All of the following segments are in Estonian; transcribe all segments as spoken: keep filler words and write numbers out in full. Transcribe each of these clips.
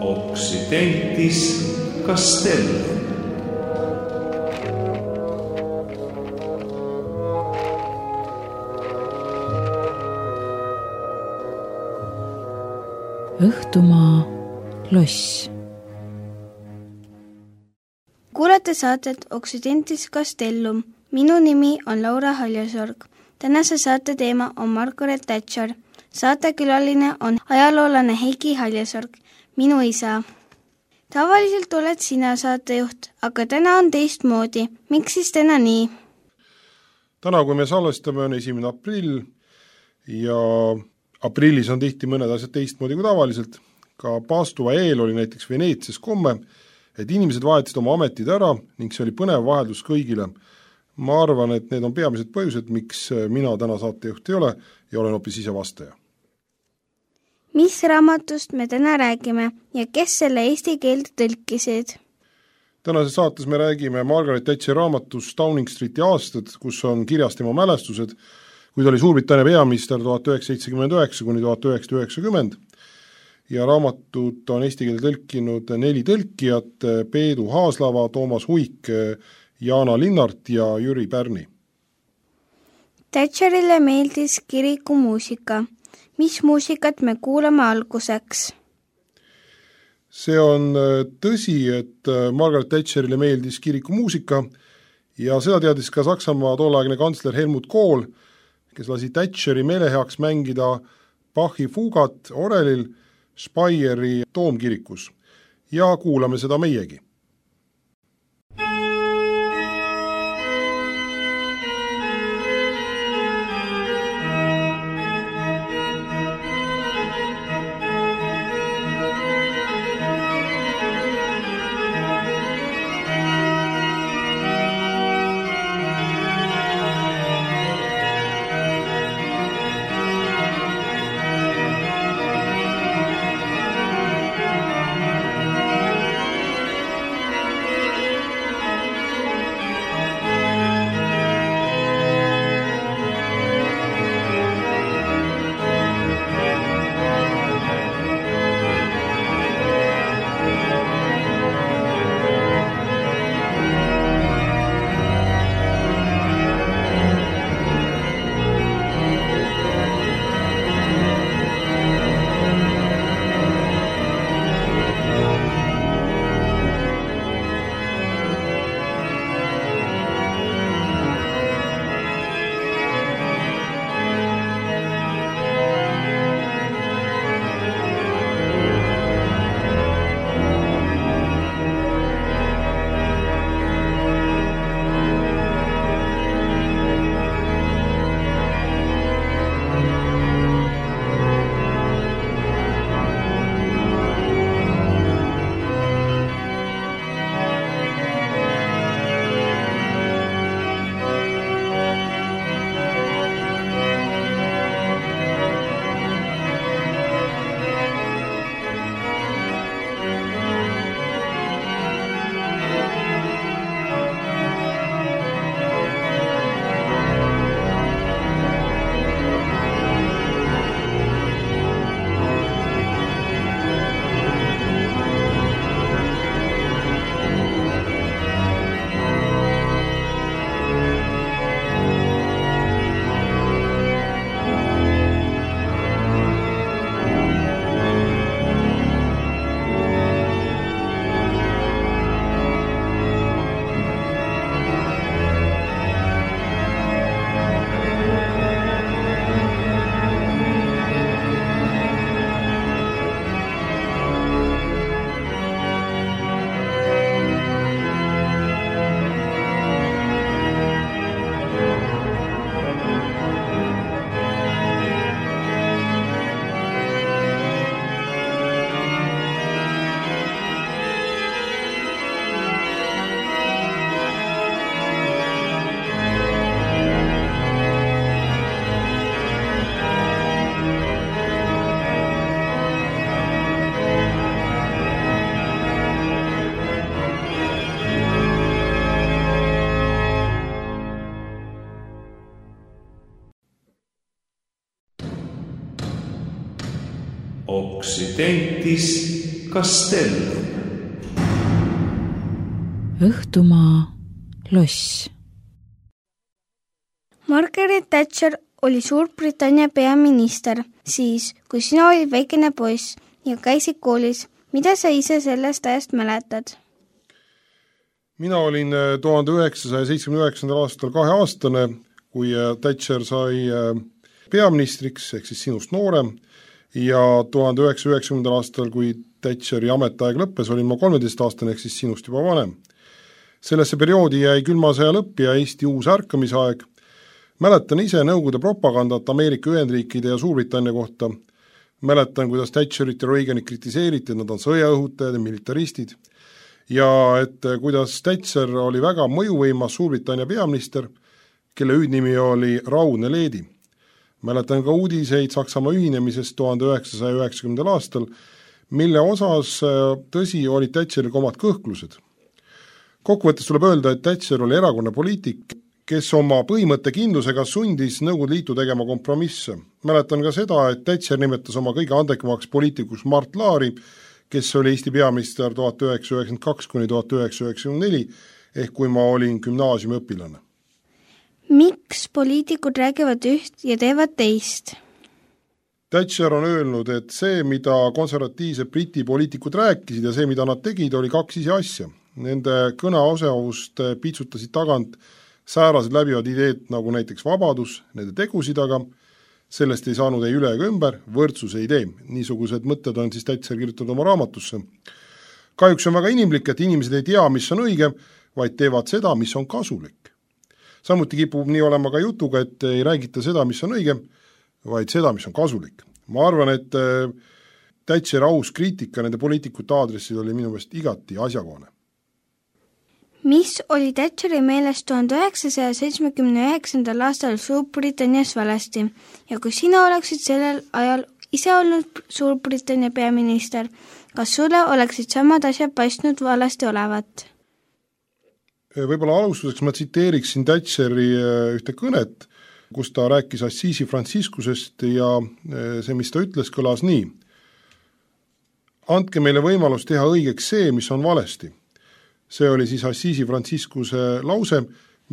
Occidentis Castellum. Õhtumaa loss. Kuulate saadet Occidentis Castellum. Minu nimi on Laura Haljasorg. Tänase saate teema on Margaret Thatcher. Saatekülaline on ajaloolane Heiki Haljasorg, minu isa. Tavaliselt oled sina saatejuht, aga täna on teistmoodi. Miks siis täna nii? Täna, kui me salvestame, on esimene aprill ja aprillis on tihti mõned asjad teistmoodi kui tavaliselt. Ka paastuva eel oli näiteks Veneetsias komme, et inimesed vahetasid oma ametid ära ning see oli põnev vaheldus kõigile. Ma arvan, et need on peamised põhjused, miks mina täna saatejuht ei ole ja olen hoopis ise vastaja. Mis raamatust me täna räägime ja kes selle eesti keelde tõlkisid? Tänases saates me räägime Margaret Thatcheri raamatust Downing Streeti aastad, kus on kirjas tema mälestused, kui ta oli Suurbritannia peaminister tuhat üheksasada seitsekümmend üheksa kuni tuhat üheksasada üheksakümmend ja raamatut on eesti keelde tõlkinud neli tõlkijat, Peedu Haaslava, Toomas Huik, Jaana Linnart ja Jüri Pärni. Thatcherile meeldis kirikumuusika. Mis muusikat me kuulame alguseks? See on tõsi, et Margaret Thatcherile meeldis kirikumuusika ja seda teadis ka Saksamaa tolleaegne kantsler Helmut Kohl, kes lasi Thatcheri meeleheaks mängida Bachi fuugat orelil Speyeri toomkirikus ja kuulame seda meiegi. Occidentis Castellum. Õhtumaa loss. Margaret Thatcher oli Suurbritannia peaminister siis, kui sina olid väikene poiss ja käisid koolis. Mida sa ise sellest ajast mäletad? Mina olin tuhande üheksasaja seitsmekümne üheksandal aastal kaheaastane, kui Thatcher sai peaministriks, ehk siis sinust noorem, ja tuhande üheksasaja üheksakümnendal aastal, kui Thatcheri ametiaeg lõppes, olin ma kolmeteistaastane, ehk siis sinust juba vanem. Sellesse perioodi jäi külma sõja lõpp ja Eesti uus ärkamisaeg. Mäletan ise Nõukogude propagandat Ameerika Ühendriikide ja Suurbritannia kohta. Mäletan, kuidas Thatcherit ja Reaganit kritiseeriti, et nad on sõjaõhutajad ja militaristid. Ja et kuidas Thatcher oli väga mõjuvõimas Suurbritannia peaminister, kelle hüüdnimi oli Raudne leedi. Mäletan ka uudiseid Saksamaa ühinemisest tuhande üheksasaja üheksakümnendal aastal, mille osas tõsi olid Thatcheril omad kõhklused. Kokkuvõttes tuleb öelda, et Thatcher oli erakonna poliitik, kes oma põhimõttekindlusega sundis Nõukogude Liitu tegema kompromisse. Mäletan ka seda, et Thatcher nimetas oma kõige andekamaks poliitikus Mart Laari, kes oli Eesti peaminister tuhat üheksasada üheksakümmend kaks kuni tuhat üheksasada üheksakümmend neli, ehk kui ma olin gümnaasiumi õpilane. Miks poliitikud räägivad üht ja teevad teist? Thatcher on öelnud, et see, mida konservatiivsed Briti poliitikud rääkisid ja see, mida nad tegid, oli kaks ise asja. Nende kõneosavust piitsutasid tagant säärased läbivad ideed nagu näiteks vabadus, nende tegusid aga, sellest ei saanud ei üle ega ümber, võrdsuse idee. Niisugused mõtted on siis Thatcher kirjutanud oma raamatusse. Kahjuks on väga inimlik, et inimesed ei tea, mis on õige, vaid teevad seda, mis on kasulik. Samuti kipub nii olema ka jutuga, et ei räägita seda, mis on õige, vaid seda, mis on kasulik. Ma arvan, et Thatcher aus kriitika nende poliitikute aadressil oli minu meelest igati asjakohane. Mis oli Thatcheri meelest tuhande üheksasaja seitsmekümne üheksandal aastal Suurbritannias valesti ja kui sina oleksid sellel ajal ise olnud Suurbritannia peaminister, kas sulle oleksid samad asjad paistnud valesti olevat? Võib-olla alustuseks ma tsiteeriksin Thatcheri ühte kõnet, kus ta rääkis Assisi Franciscusest ja see, mis ta ütles, kõlas nii. Andke meile võimalus teha õigeks see, mis on valesti. See oli siis Assisi Franciscuse lause,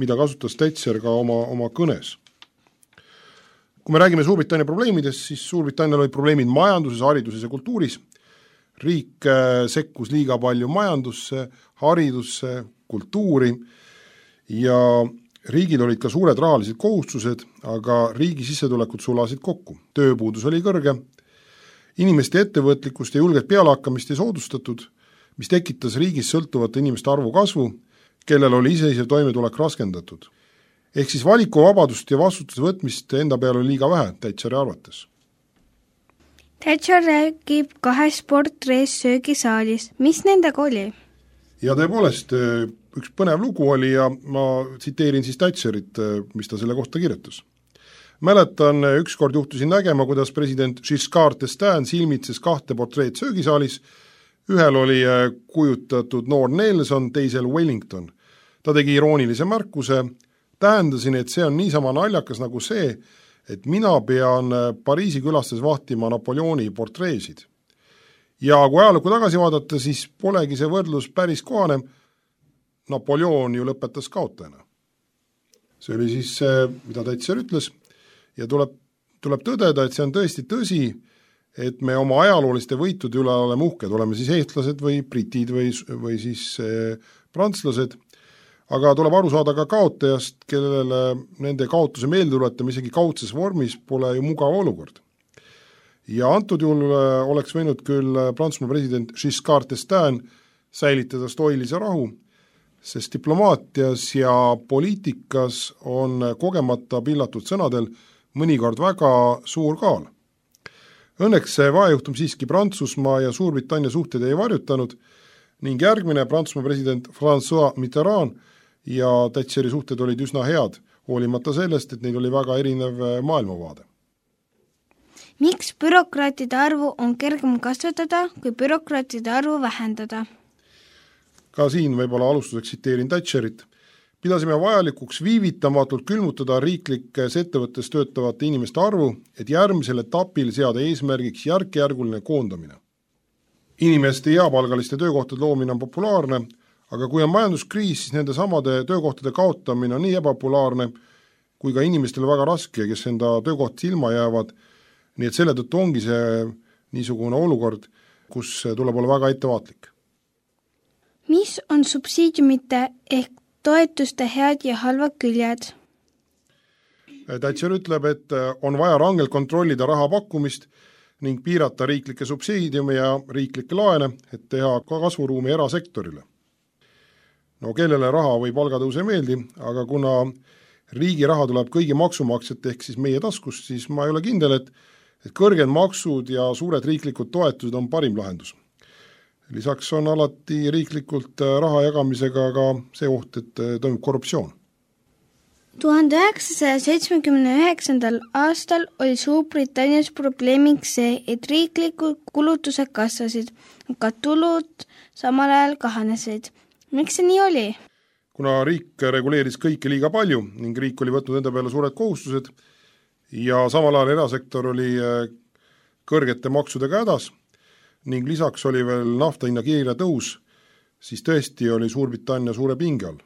mida kasutas Thatcher ka oma, oma kõnes. Kui me räägime Suurbritannia probleemidest, siis Suurbritannial olid probleemid majanduses, hariduses ja kultuuris. Riik sekkus liiga palju majandusse, haridusse, kultuuri ja riigil olid ka suured rahalised kohustused, aga riigi sissetulekud sulasid kokku. Tööpuudus oli kõrge, inimeste ettevõtlikkust ja julget pealehakkamist ei soodustatud, mis tekitas riigis sõltuvate inimeste arvu kasvu, kellel oli iseisev toimetulek raskendatud. Ehk siis valikuvabadust ja vastutuse võtmist enda peale oli liiga vähe Thatcheri arvates. Thatcher räägib kahes portrees söögisaalis. Mis nendega oli? Ja tõepoolest, üks põnev lugu oli ja ma tsiteerin siis Thatcherit, mis ta selle kohta kirjutas. Mäletan, ükskord juhtusin nägema, kuidas president Giscard d'Estaing silmitses kahte portreed söögisaalis. Ühel oli kujutatud noor Nelson, teisel Wellington. Ta tegi iroonilise märkuse, tähendasin, et see on niisama naljakas nagu see, et mina pean Pariisi külastes vahtima Napoleoni portreesid. Ja kui ajalukku tagasi vaadata, siis polegi see võrdlus päris kohane. Napoleon ju lõpetas kaotajana. See oli siis see, mida Thatcher ütles ja tuleb, tuleb tõdeda, et see on tõesti tõsi, et me oma ajalooliste võitude üle oleme uhked, oleme siis eestlased või britid või, või siis eh, prantslased, aga tuleb aru saada ka kaotajast, kellele nende kaotuse meeldetuletame isegi kaudses vormis pole ju mugav olukord. Ja antud juhul oleks võinud küll Prantsusmaa president Giscard d'Estaing säilitada stoilise rahu, sest diplomaatias ja poliitikas on kogemata pillatud sõnadel mõnikord väga suur kaal. Õnneks see vaejuhtum siiski Prantsusmaa ja Suurbritannia suhted ei varjutanud ning järgmine Prantsusmaa president François Mitterrand ja Thatcheri suhted olid üsna head, hoolimata sellest, et neil oli väga erinev maailmavaade. Miks bürokraatide arvu on kergem kasvatada, kui bürokraatide arvu vähendada? Ka siin võib-olla alustuseks tsiteerin Thatcherit. Pidasime vajalikuks viivitamatult külmutada riiklikes ettevõttes töötavate inimeste arvu, et järgmisel etapil seada eesmärgiks järk-järguline koondamine. inimeste heapalgaliste töökohtade loomine on populaarne, aga kui on majanduskriis, siis nende samade töökohtade kaotamine on nii ebapopulaarne, kui ka inimestele väga raske, kes enda töökoht ilma jäävad, nii et selle tõttu ongi see niisugune olukord, kus tuleb olla väga ettevaatlik. Mis on subsiidiumite ehk toetuste head ja halvad küljed? Thatcher ütleb, et on vaja rangelt kontrollida raha pakkumist ning piirata riiklikke subsiidiume ja riiklikke laene, et teha ka kasvuruumi erasektorile. No kellele raha või palgatõus ei meeldi, aga kuna riigi raha tuleb kõigi maksumaksjate ehk siis meie taskust, siis ma ei ole kindel, et, et kõrged maksud ja suured riiklikud toetused on parim lahendus. Lisaks on alati riiklikult raha jagamisega ka see oht, et toimub korruptsioon. tuhande üheksasaja seitsmekümne üheksandal aastal oli Suurbritannias probleemiks see, et riiklikud kulutused kasvasid, aga tulud samal ajal kahanesid. Miks see nii oli? Kuna riik reguleeris kõike liiga palju ning riik oli võtnud enda peale suured kohustused ja samal ajal erasektor oli kõrgete maksudega hädas ning lisaks oli veel nafta hinna kiire tõus, siis tõesti oli Suurbritannia suure pinge all.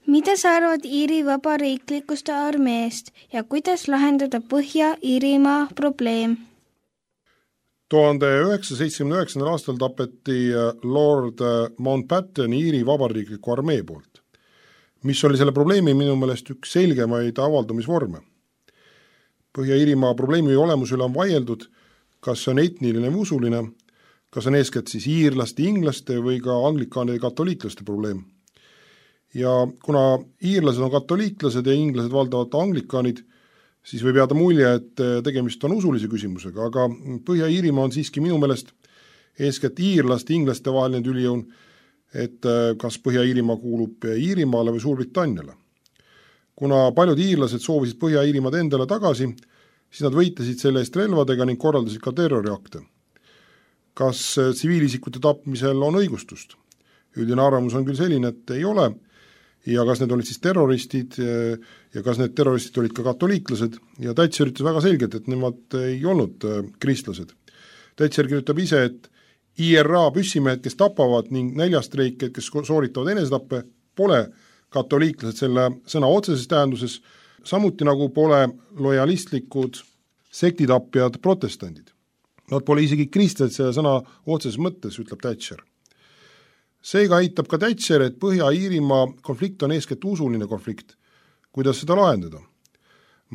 Mida sa arvad Iiri vabariiklikust armeest ja kuidas lahendada Põhja-Iirimaa probleem? tuhande üheksasaja seitsmekümne üheksandal aastal tapeti Lord Mountbatten Iiri vabariikliku armee poolt, mis oli selle probleemi minu meelest üks selgemaid avaldumisvorme. Põhja-Iirimaa probleemi olemus üle on vaieldud, kas on etniline või usuline, kas on eeskätt siis iirlaste, inglaste või ka anglikaanide ja katoliiklaste probleem. Ja kuna iirlased on katoliiklased ja inglased valdavad anglikaanid, siis võib jääda mulje, et tegemist on usulise küsimusega, aga Põhja-Iirimaa on siiski minu meelest eeskätt iirlaste, inglaste vaheline tülijõun, et kas Põhja-Iirimaa kuulub Iirimaale või Suurbritanniale. Kuna paljud iirlased soovisid Põhja-Iirimaad endale tagasi, siis nad võitlesid selle eest relvadega ning korraldasid ka terroriakte. Kas tsiviilisikute tapmisel on õigustust? Üldine arvamus on küll selline, et ei ole, ja kas need olid siis terroristid ja kas need terroristid olid ka katoliiklased ja Thatcher ütles väga selgelt, et nemad ei olnud kristlased. Thatcher kirjutab ise, et I R A püssimehed, kes tapavad ning näljastreiked, kes sooritavad enesetappe, pole katoliiklased selle sõna otseses tähenduses, samuti nagu pole lojalistlikud sektitapjad protestandid. Nad pole isegi kristlased selle sõna otseses mõttes, ütleb Thatcher. Seega aitab ka Thatcher, et Põhja-Iirimaa konflikt on eeskätt usuline konflikt. Kuidas seda lahendada?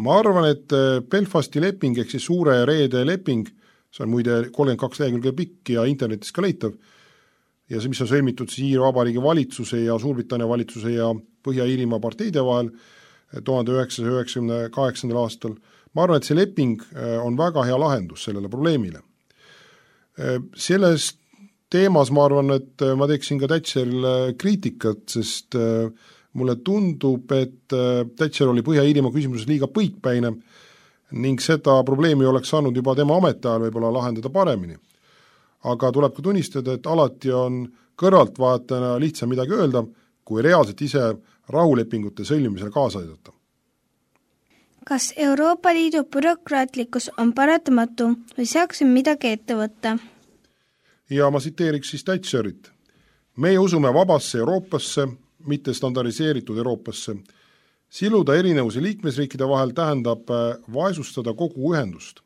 Ma arvan, et Belfasti leping ehk siis suure reede leping, see on muide kolmkümmend kaks lehekülge pikk ja internetis ka leitav, ja see, mis on sõlmitud siis Iiri Vabariigi valitsuse ja Suurbritannia valitsuse ja Põhja-Iirimaa parteide vahel tuhande üheksasaja üheksakümne kaheksandal aastal, ma arvan, et see leping on väga hea lahendus sellele probleemile. Sellest teemas ma arvan, et ma teeksin ka Thatcherile kriitikat, sest mulle tundub, et Thatcher oli Põhja-Iirimaa küsimuses liiga põikpäine ning seda probleemi oleks saanud juba tema ametiajal võib-olla lahendada paremini. Aga tuleb ka tunnistada, et alati on kõrvaltvaatajana lihtsam midagi öelda, kui reaalselt ise rahulepingute sõlmimisel kaasa aidata. Kas Euroopa Liidu bürokraatlikkus on paratamatu või saaksin midagi ette võtta? Ja ma siteeriks siis Thatcherit. Meie usume vabasse Euroopasse, mitte standardiseeritud Euroopasse. Siluda erinevusi liikmesriikide vahel tähendab vaesustada kogu ühendust.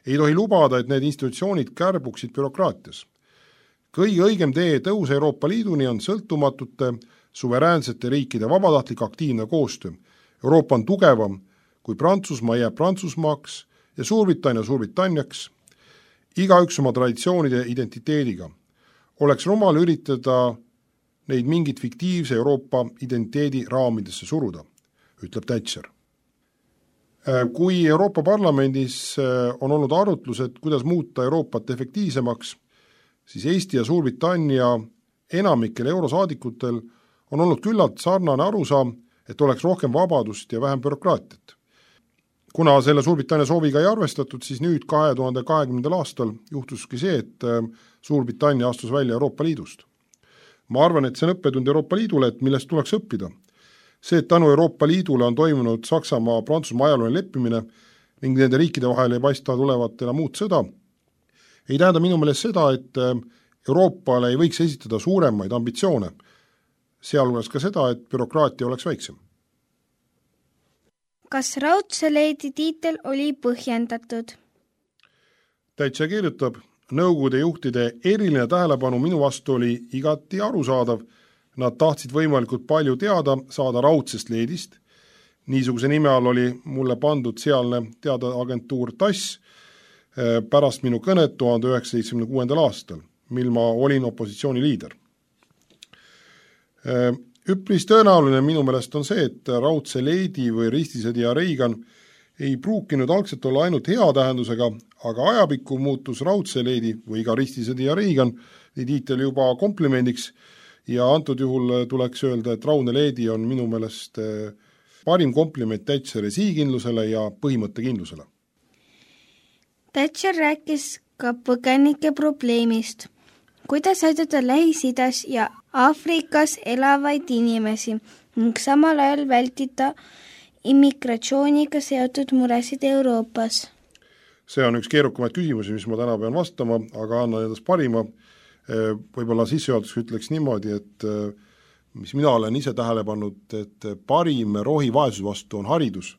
Ei tohi lubada, et need institutsioonid kärbuksid bürokraatias. Kõige õigem tee tõus Euroopa Liiduni on sõltumatute, suveräänsete riikide vabatahtlik aktiivne koostöö. Euroopa on tugevam, kui Prantsusmaa jääb Prantsusmaaks ja Suurbritannia Suurbritanniaks, iga üks oma traditsioonide identiteediga. Oleks rumal üritada neid mingit fiktiivse Euroopa identiteedi raamidesse suruda, ütleb Thatcher. Kui Euroopa Parlamendis on olnud arutlused, kuidas muuta Euroopat efektiivsemaks, siis Eesti ja Suurbritannia enamikel eurosaadikutel on olnud küllalt sarnane arusaam, et oleks rohkem vabadust ja vähem bürokraatiat. Kuna selle Suurbritannia sooviga ei arvestatud, siis nüüd kahe tuhande kahekümnendal aastal juhtuski see, et Suurbritannia astus välja Euroopa Liidust. Ma arvan, et see on õppetund Euroopa Liidule, et millest tuleks õppida. See, et tänu Euroopa Liidule on toimunud Saksamaa Prantsusmaa ajalooline leppimine ning nende riikide vahel ei paista tulevat enam muud sõda, ei tähenda minu meelest seda, et Euroopale ei võiks esitada suuremaid ambitsioone, sealhulgas ka seda, et bürokraatia oleks väiksem. Kas raudse leedi tiitel oli põhjendatud? Täitsa kirjutab, nõukogude juhtide eriline tähelepanu minu vastu oli igati arusaadav. Nad tahtsid võimalikult palju teada saada raudsest leedist. Niisuguse nime all oli mulle pandud sealne teadeagentuur TASS pärast minu kõnet tuhande üheksasaja seitsmekümne kuuendal aastal, mil ma olin opositsiooni liider. Üpris tõenäoline minu meelest on see, et raudse leedi või ristisõdija Reagan ei pruukinud algselt olla ainult hea tähendusega, aga ajapikku muutus raudse leedi või ka ristisõdija Reagan tiitel juba komplimendiks ja antud juhul tuleks öelda, et raudne leedi on minu meelest parim kompliment Thatcheri sihikindlusele ja põhimõttekindlusele. Thatcher rääkis ka põgenike probleemist. Kuidas aidata Lähis-Idas ja Aafrikas elavaid inimesi ning samal ajal vältida immigratsiooniga seotud muresid Euroopas? See on üks keerukamaid küsimusi, mis ma täna pean vastama, aga annan endast parima. Võib-olla sissejuhatuseks ütleks niimoodi, et mis mina olen ise tähele pannud, et parim rohi vaesuse vastu on haridus.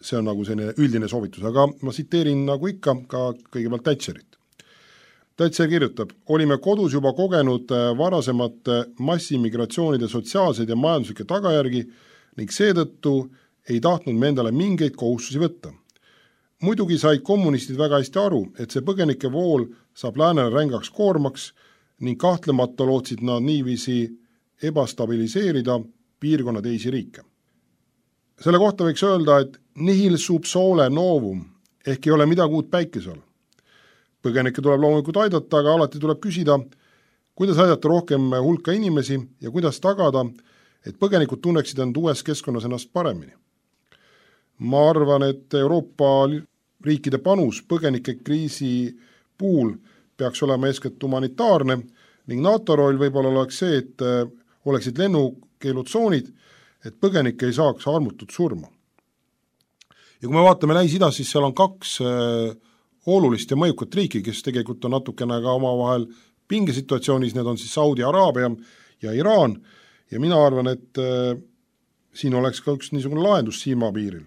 See on nagu selline üldine soovitus, aga ma tsiteerin nagu ikka ka kõigepealt Thatcherit. Thatcher kirjutab, olime kodus juba kogenud varasemate massimigratsioonide sotsiaalseid ja majanduslikke tagajärgi ning seetõttu ei tahtnud me endale mingeid kohustusi võtta. Muidugi said kommunistid väga hästi aru, et see põgenike vool saab läänele rängaks koormaks ning kahtlemata lootsid nad niiviisi ebastabiliseerida piirkonna teisi riike. Selle kohta võiks öelda, et nihil sub sole novum ehk ei ole midagi uut päikese all. Põgenikke tuleb loomulikult aidata, aga alati tuleb küsida, kuidas aidata rohkem hulka inimesi ja kuidas tagada, et põgenikud tunneksid end uues keskkonnas ennast paremini. Ma arvan, et Euroopa riikide panus põgenike kriisi puhul peaks olema eeskätt humanitaarne ning NATO roll võib-olla oleks see, et oleksid lennukeelutsoonid, et põgenikke ei saaks armutut surma. Ja kui me vaatame Lähis-Idas, siis seal on kaks olulist ja mõjukat riiki, kes tegelikult on natukene ka omavahel pingesituatsioonis, need on siis Saudi Araabia ja Iraan ja mina arvan, et siin oleks ka üks niisugune lahendus silmapiiril.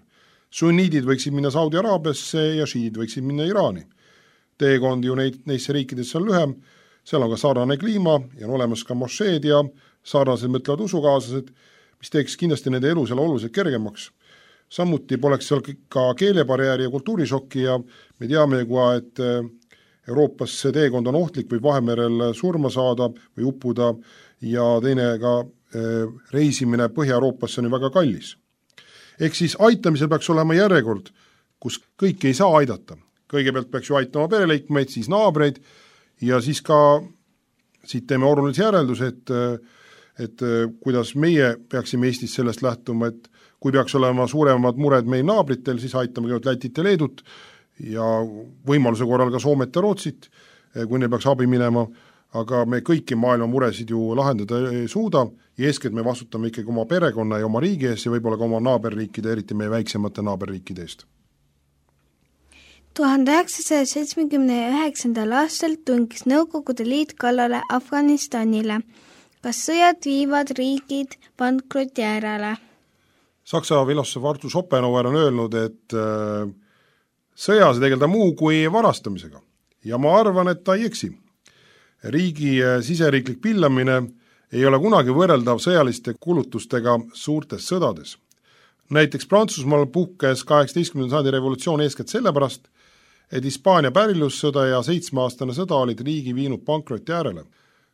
Sunniidid võiksid minna Saudi Araabiasse ja šiidid võiksid minna Iraani. Teekond ju neid, neisse riikidesse on lühem, seal on ka sarnane kliima ja on olemas ka mošeed ja sarnased mõtlevad usukaaslased, mis teeks kindlasti nende elu seal oluliselt kergemaks. Samuti poleks seal ka keelebarjääri ja kultuurišokki ja me teame juba, et Euroopas see teekond on ohtlik, võib Vahemerel surma saada või uppuda ja teine ka reisimine Põhja-Euroopasse on ju väga kallis. Ehk siis aitamisel peaks olema järjekord, kus kõiki ei saa aidata. Kõigepealt peaks ju aitama pereliikmeid, siis naabreid ja siis ka siit teeme olulise järelduse, et, et kuidas meie peaksime Eestis sellest lähtuma, et kui peaks olema suuremad mured meil naabritel, siis aitame kõigepealt Lätit ja Leedut ja võimaluse korral ka Soomet ja Rootsit, kui neil peaks abi minema, aga me kõiki maailma muresid ju lahendada ei suuda ja eeskätt me vastutame ikkagi oma perekonna ja oma riigi ees ja võib-olla ka oma naaberriikide, eriti meie väiksemate naaberriikide eest. tuhande üheksasaja seitsmekümne üheksandal aastal tungis Nõukogude Liit kallale Afganistanile. Kas sõjad viivad riigid pankroti äärele? Saksa filosoof Arthur Schopenhauer on öelnud, et sõjas tegelda muu kui varastamisega ja ma arvan, et ta ei eksi. Riigi siseriiklik pillamine ei ole kunagi võrreldav sõjaliste kulutustega suurtes sõdades. Näiteks Prantsusmaal puhkes kaheksateistkümnenda sajandi revolutsioon eeskätt sellepärast, et Hispaania pärilussõda ja seitsmeaastane sõda olid riigi viinud pankroti äärele.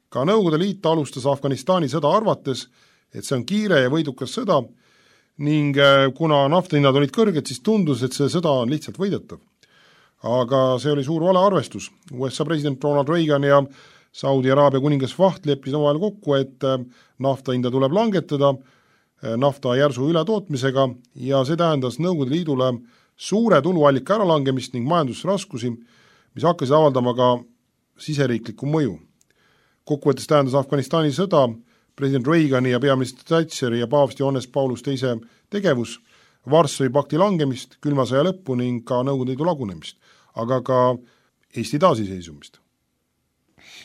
Ka Nõukogude Liit alustas Afganistani sõda arvates, et see on kiire ja võidukas sõda ning kuna naftahinnad olid kõrged, siis tundus, et see sõda on lihtsalt võidetav. Aga see oli suur valearvestus. U S A president Ronald Reagan ja Saudi Araabia kuningas Fahd leppisid omavahel kokku, et naftahinda tuleb langetada nafta järsu ületootmisega ja see tähendas Nõukogude Liidule suure tuluallika äralangemist ning majandusraskusi, mis hakkasid avaldama ka siseriiklikku mõju. Kokkuvõttes tähendas Afganistani sõda president Reagani ja peaminister Thatcheri ja paavst Johannes Paulus teise tegevus, Varssavi pakti langemist, külma sõja lõppu ning ka Nõukogude Liidu lagunemist, aga ka Eesti taasiseisumist.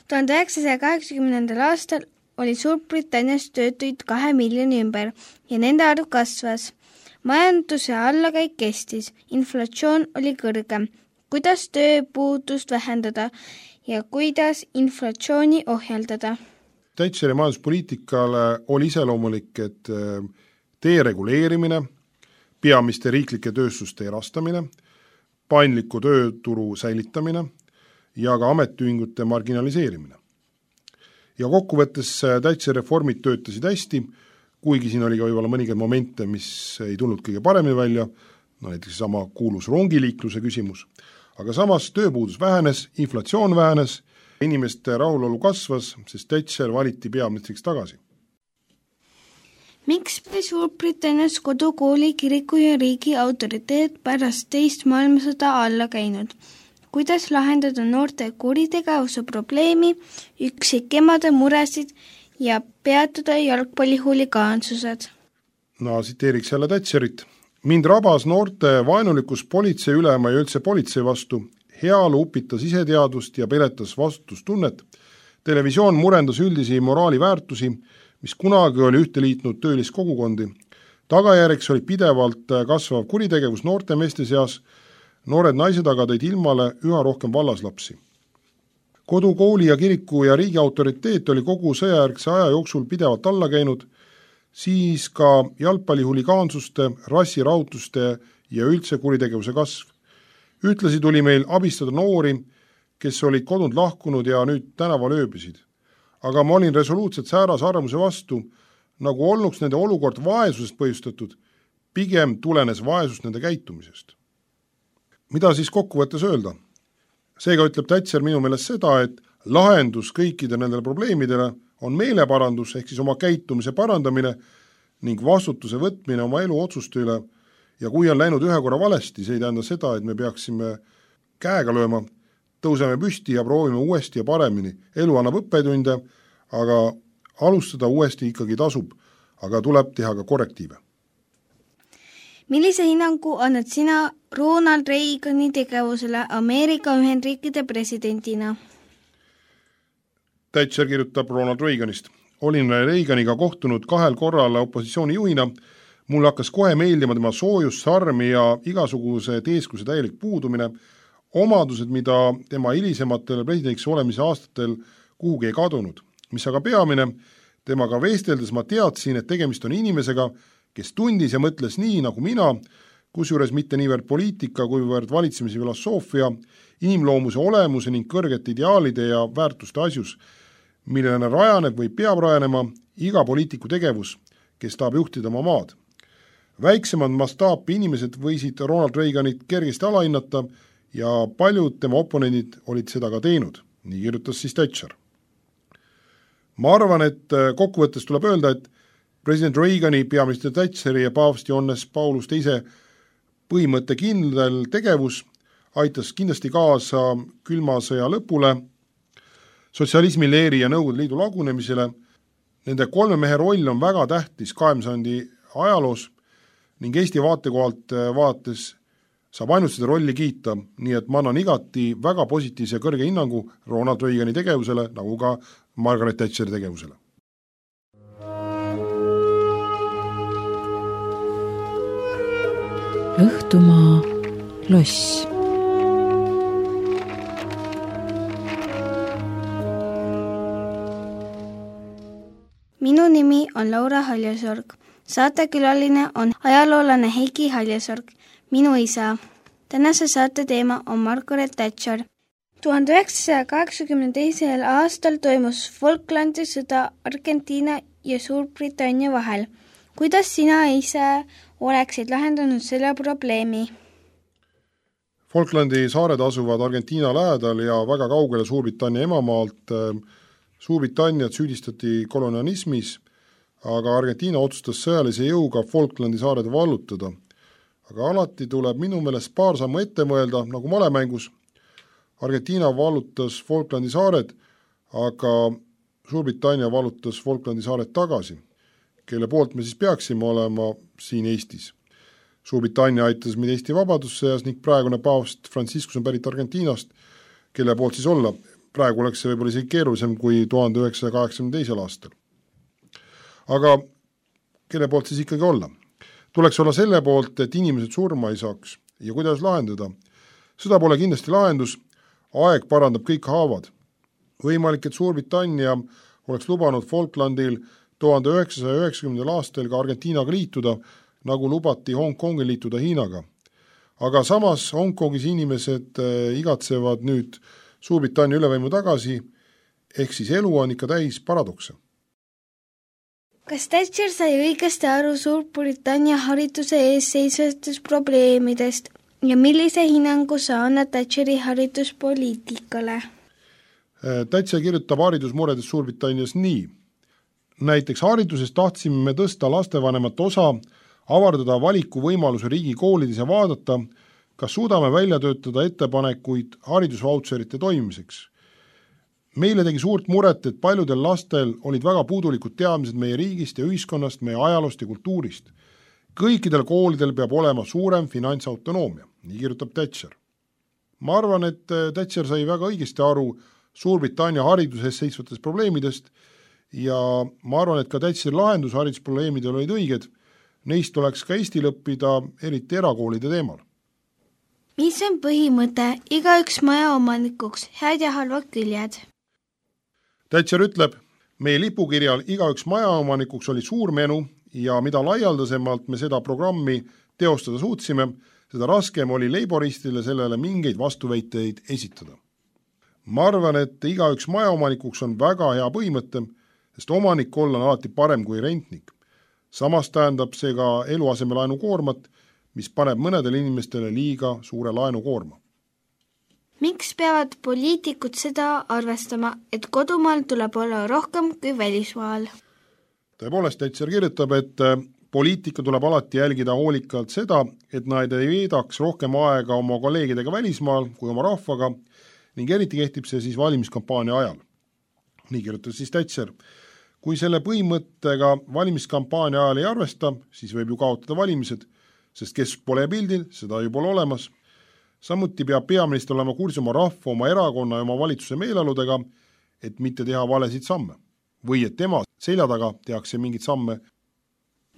tuhande üheksasaja kaheksakümnendal aastal oli Suurbritannias töötuid kahe miljoni ümber ja nende arv kasvas. Majanduse allakäik kestis, inflatsioon oli kõrge. Kuidas tööpuudust vähendada ja kuidas inflatsiooni ohjeldada? Thatcheri majanduspoliitikale oli iseloomulik, et dereguleerimine, peamiste riiklike tööstuste erastamine, paindliku tööturu säilitamine ja ka ametiühingute marginaliseerimine. Ja kokkuvõttes Thatcheri reformid töötasid hästi, kuigi siin oli ka võib-olla mõningaid momente, mis ei tulnud kõige paremini välja, no näiteks sama kuulus rongiliikluse küsimus, aga samas tööpuudus vähenes, inflatsioon vähenes, inimeste rahulolu kasvas, sest Thatcher valiti peaministriks tagasi. Miks pidi Suurbritannias kodukooli, kiriku ja riigi autoriteet pärast teist maailmasõda alla käinud? Kuidas lahendada noorte kuritegevuse probleemi, üksikemade muresid ja peatada jalgpallihuligaansused? No tsiteeriks jälle Thatcherit. Mind rabas noorte vaenulikus politsei ülema ja üldse politsei vastu, heaolu upitas iseteadvust ja peletas vastutustunnet. Televisioon murendas üldisi moraaliväärtusi, mis kunagi oli ühte liitnud tööliskogukondi. Tagajärjeks oli pidevalt kasvav kuritegevus noorte meeste seas, noored naised aga tõid ilmale üha rohkem vallaslapsi. Kodu, kooli ja kiriku ja riigi autoriteet oli kogu sõjajärgse aja jooksul pidevalt alla käinud, siis ka jalgpallihuligaansuste, rassirautuste ja üldse kuritegevuse kasv. Ühtlasi tuli meil abistada noori, kes olid kodunt lahkunud ja nüüd tänaval ööbisid. Aga ma olin resoluutselt säärase arvamuse vastu, nagu olnuks nende olukord vaesusest põhjustatud, pigem tulenes vaesus nende käitumisest. Mida siis kokkuvõttes öelda? Seega ütleb Thatcher minu meelest seda, et lahendus kõikide nendele probleemidele on meeleparandus ehk siis oma käitumise parandamine ning vastutuse võtmine oma elu otsuste üle ja kui on läinud ühe korra valesti, see ei tähenda seda, et me peaksime käega lööma, tõuseme püsti ja proovime uuesti ja paremini. Elu annab õppetunde, aga alustada uuesti ikkagi tasub, aga tuleb teha ka korrektiive. Millise hinnangu annad sina Ronald Reagani tegevusele Ameerika Ühendriikide presidendina? Thatcher kirjutab Ronald Reaganist. Olin Reaganiga kohtunud kahel korral opositsiooni juhina. Mul hakkas kohe meeldima tema soojus, sarmi ja igasuguse teeskuse täielik puudumine. Omadused, mida tema hilisematel presidendiks olemise aastatel kuhugi ei kadunud. Mis aga peamine, temaga vesteldes ma teadsin, et tegemist on inimesega, kes tundis ja mõtles nii nagu mina, kusjuures mitte niivõrd poliitika, kuivõrd valitsemise filosoofia, inimloomuse olemuse ning kõrgete ideaalide ja väärtuste asjus, millele rajaneb või peab rajanema iga poliitiku tegevus, kes tahab juhtida oma maad. Väiksemad mastaapi inimesed võisid Ronald Reaganit kergesti alahinnata ja paljud tema oponendid olid seda ka teinud, nii kirjutas siis Thatcher. Ma arvan, et kokkuvõttes tuleb öelda, et president Reagani, peaminister Thatcheri ja paavst Johannes Paulus teise põhimõtte kindel tegevus aitas kindlasti kaasa külma sõja lõpule, sotsialismi leeri ja Nõukogude Liidu lagunemisele. Nende kolme mehe roll on väga tähtis kahekümnenda sajandi ajaloos ning Eesti vaatekohalt vaates saab ainult seda rolli kiita, nii et ma annan igati väga positiivse ja kõrge hinnangu Ronald Reagani tegevusele, nagu ka Margaret Thatcheri tegevusele. Õhtumaa loss. Minu nimi on Laura Haljasorg. Saatekülaline on ajaloolane Heiki Haljasorg, minu isa. Tänase saate teema on Margaret Thatcher. tuhande üheksasaja kaheksakümne teisel aastal toimus Falklandi sõda Argentiina ja Suurbritannia vahel. Kuidas sina ise oleksid lahendanud selle probleemi? Falklandi saared asuvad Argentiina lähedal ja väga kaugele Suurbritannia emamaalt. Suurbritanniat süüdistati kolonialismis, aga Argentiina otsustas sõjalise jõuga Falklandi saared vallutada. Aga alati tuleb minu meelest paar sammu ette mõelda, nagu malemängus. Argentiina vallutas Falklandi saared, aga Suurbritannia vallutas Falklandi saared tagasi, kelle poolt me siis peaksime olema siin Eestis. Suurbritannia aitas meid Eesti vabadussõjas ning praegune paavst Franciscus on pärit Argentiinast, kelle poolt siis olla. Praegu oleks see võib-olla isegi keerulisem kui tuhande üheksasaja kaheksakümne teisel aastal. Aga kelle poolt siis ikkagi olla? Tuleks olla selle poolt, et inimesed surma ei saaks ja kuidas lahendada. Seda pole kindlasti lahendus, aeg parandab kõik haavad. Võimalik, et Suurbritannia oleks lubanud Falklandil tuhande üheksasaja üheksakümnendal aastal ka Argentiinaga liituda, nagu lubati Hongkongil liituda Hiinaga. Aga samas Hongkongis inimesed igatsevad nüüd Suurbritannia ülevõimu tagasi, ehk siis elu on ikka täis paradokse. Kas Thatcher sai õigesti aru Suurbritannia hariduse ees seisvatest probleemidest ja millise hinnangu sa annad Thatcheri hariduspoliitikale? Thatcher kirjutab haridusmuredest Suurbritannias nii. Näiteks hariduses tahtsime me tõsta lastevanemat osa, avardada valiku võimaluse riigikoolides ja vaadata, kas suudame välja töötada ettepanekuid haridusvautserite toimimiseks. Meile tegi suurt muret, et paljudel lastel olid väga puudulikud teadmised meie riigist ja ühiskonnast, meie ajaloost ja kultuurist. Kõikidel koolidel peab olema suurem finantsautonoomia, nii kirjutab Thatcher. Ma arvan, et Thatcher sai väga õigesti aru Suurbritannia hariduses seisvatest probleemidest ja ma arvan, et ka Thatcheri lahendus haridusprobleemidel olid õiged. Neist oleks ka Eestil õppida, eriti erakoolide teemal. Mis on põhimõte igaüks maja omanikuks, head ja halvad küljed? Thatcher ütleb, meie lipukirjal igaüks maja omanikuks oli suur menu ja mida laialdasemalt me seda programmi teostada suutsime, seda raskem oli leiboristile sellele mingeid vastuväiteid esitada. Ma arvan, et igaüks maja omanikuks on väga hea põhimõte, sest omanik olla on alati parem kui rentnik. Samas tähendab see ka eluasemelaenu koormat, mis paneb mõnedele inimestele liiga suure laenukoorma. Miks peavad poliitikud seda arvestama, et kodumaal tuleb olla rohkem kui välismaal? Tõepoolest, Thatcher kirjutab, et poliitika tuleb alati jälgida hoolikalt seda, et nad ei veedaks rohkem aega oma kolleegidega välismaal kui oma rahvaga ning eriti kehtib see siis valimiskampaania ajal. Nii kirjutab siis Thatcher. Kui selle põhimõttega valimiskampaania ajal ei arvesta, siis võib ju kaotada valimised, sest kes pole pildil, seda ju pole olemas. Samuti peab peaminister olema kursis oma rahva, oma erakonna ja oma valitsuse meeleoludega, et mitte teha valesid samme. Või et tema selja taga tehakse mingid samme.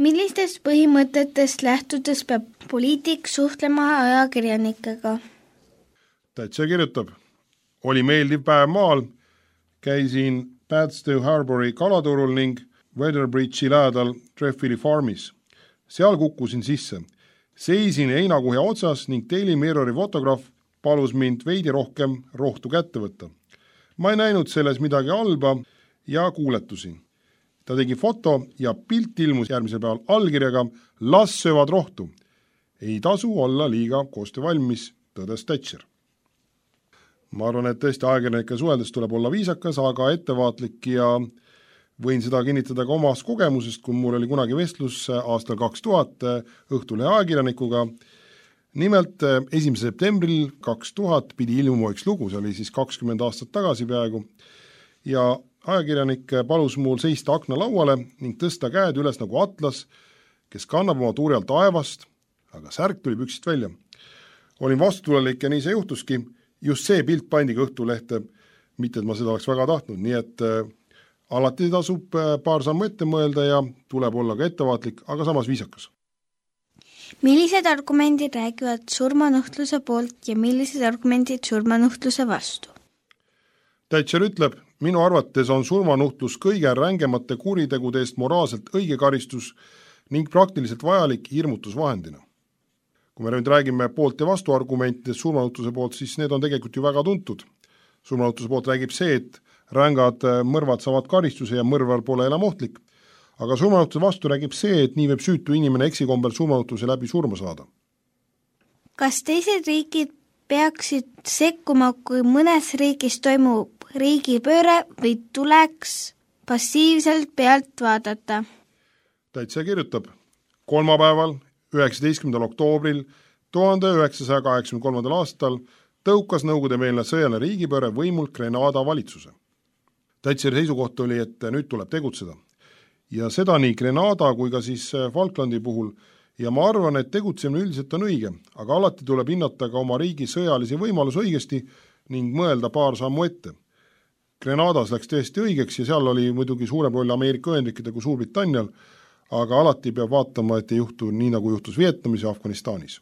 Millistest põhimõtetest lähtudes peab poliitik suhtlema ajakirjanikega? Thatcher kirjutab, oli meeldiv päev maal, käisin Padstow Harbori kalaturul ning Weatherbridge'i lähedal Trefili farmis. Seal kukkusin sisse. Seisin heinakuhja otsas ning Daily Mirrori fotograaf palus mind veidi rohkem rohtu kätte võtta. Ma ei näinud selles midagi halba ja kuuletusin. Ta tegi foto ja pilt ilmus järgmisel päeval allkirjaga las söövad rohtu. Ei tasu olla liiga koostöövalmis, tõdes Thatcher. Ma arvan, et tõesti ajakirjanike suheldes tuleb olla viisakas, aga ettevaatlik ja võin seda kinnitada ka omast kogemusest, kui mul oli kunagi vestlus aastal kaks tuhat Õhtulehe ajakirjanikuga. Nimelt esimesel septembril kaks tuhat pidi ilmuma üks lugu, see oli siis kakskümmend aastat tagasi peaaegu, ja ajakirjanik palus mul seista akna lauale ning tõsta käed üles nagu atlas, kes kannab oma tuuri alt taevast, aga särk tuli püksist välja. Olin vastutulelik ja nii see juhtuski, just see pilt pandi Õhtulehte, mitte et ma seda oleks väga tahtnud, nii et alati tasub paar sammu ette mõelda ja tuleb olla ka ettevaatlik, aga samas viisakas. Millised argumendid räägivad surmanuhtluse poolt ja millised argumendid surmanuhtluse vastu? Thatcher ütleb, minu arvates on surmanuhtlus kõige rängemate kuritegude eest moraalselt õige karistus ning praktiliselt vajalik hirmutusvahendina. Kui me nüüd räägime poolt ja vastu argumentidest surmanuhtluse poolt, siis need on tegelikult ju väga tuntud. Surmanuhtluse poolt räägib see, et rängad mõrvad saavad karistuse ja mõrvar pole enam ohtlik. Aga surmanuhtluse vastu räägib see, et nii võib süütu inimene eksikombel surmanuhtluse läbi surma saada. Kas teised riigid peaksid sekkuma, kui mõnes riigis toimub riigipööre või tuleks passiivselt pealt vaadata? Täitsa kirjutab, kolmapäeval, üheksateistkümnendal oktoobril tuhande üheksasaja kaheksakümne kolmandal aastal tõukas nõukogudemeelne sõjaline riigipööre võimult Grenada valitsuse. Thatcheri seisukoht oli, et nüüd tuleb tegutseda. Ja seda nii Grenada kui ka siis Falklandi puhul ja ma arvan, et tegutsemine üldiselt on õige, aga alati tuleb hinnata ka oma riigi sõjalisi võimalusi õigesti ning mõelda paar sammu ette. Grenadas läks tõesti õigeks ja seal oli muidugi suurem roll Ameerika Ühendriikide kui Suurbritannial, aga alati peab vaatama, et ei juhtu nii, nagu juhtus Vietnamis ja Afganistanis.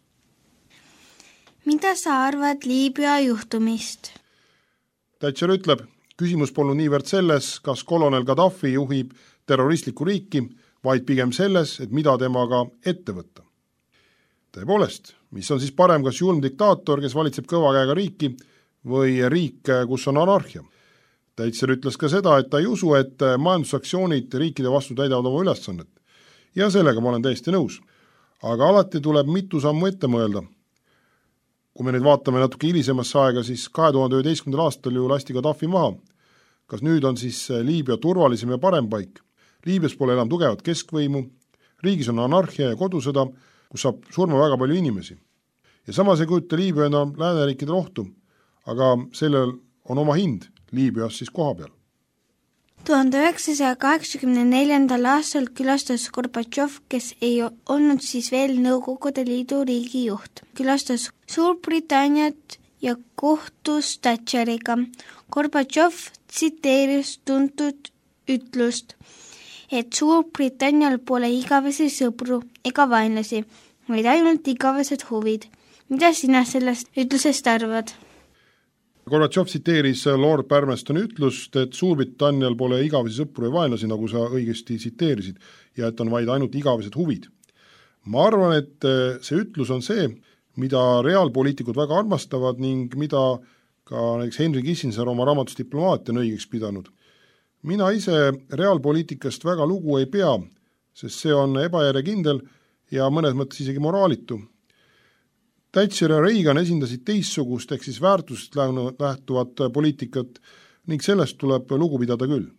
Mida sa arvad Liibüa juhtumist? Thatcher ütleb, küsimus polnud niivõrd selles, kas kolonel Gaddafi juhib terroristlikku riiki, vaid pigem selles, et mida temaga ette võtta. Tõepoolest, mis on siis parem, kas julm diktaator, kes valitseb kõva käega riiki, või riik, kus on anarhia? Thatcher ütles ka seda, et ta ei usu, et majandusaktsioonid riikide vastu täidavad oma ülesannet. Ja sellega ma olen täiesti nõus. Aga alati tuleb mitu sammu ette mõelda. Kui me nüüd vaatame natuke hilisemasse aega, siis kahe tuhande üheteistkümnendal aastal ju lasti Gaddafi maha. Kas nüüd on siis Liibüa turvalisem ja parem paik? Liibüas pole enam tugevat keskvõimu, riigis on anarhia ja kodusõda, kus saab surma väga palju inimesi. Ja samas ei kujuta Liibüa enam lääneriikidel ohtu, aga sellel on oma hind Liibüas siis koha peal. tuhande üheksasaja kaheksakümne neljandal aastal külastas Gorbatšov, kes ei olnud siis veel Nõukogude Liidu riigijuht. Külastas Suurbritanniat ja kohtus Thatcheriga. Gorbatšov tsiteeris tuntud ütlust, et Suurbritannial pole igavesi sõpru ega vaenlasi, vaid ainult igavesed huvid. Mida sina sellest ütlusest arvad? Gorbatšov tsiteeris Lord Palmerstoni ütlust, et Suurbritannial pole igavesi sõpru ja vaenlasi, nagu sa õigesti tsiteerisid, ja et on vaid ainult igavesed huvid. Ma arvan, et see ütlus on see, mida reaalpoliitikud väga armastavad ning mida ka näiteks Henry Kissinger oma raamatus Diplomaatia on õigeks pidanud. Mina ise reaalpoliitikast väga lugu ei pea, sest see on ebajärjekindel ja mõnes mõttes isegi moraalitu. Thatcher ja Reagan esindasid teissugust ehk siis väärtusest lähtuvat poliitikat ning sellest tuleb lugu pidada küll.